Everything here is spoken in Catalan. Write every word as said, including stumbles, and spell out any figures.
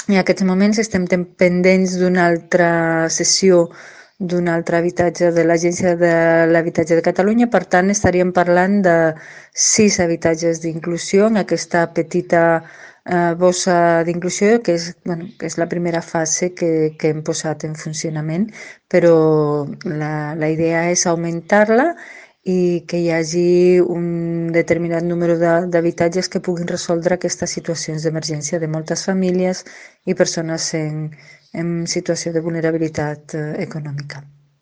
en aquests moments estem pendents d'una altra sessió d'un altre habitatge de l'Agència de l'Habitatge de Catalunya. Per tant, estaríem parlant de sis habitatges d'inclusió en aquesta petita eh, bossa d'inclusió, que és, bueno, que és la primera fase que, que hem posat en funcionament, però la, la idea és augmentar-la i que hi hagi un determinat número d'habitatges que puguin resoldre aquestes situacions d'emergència de moltes famílies i persones en, en situació de vulnerabilitat eh, econòmica.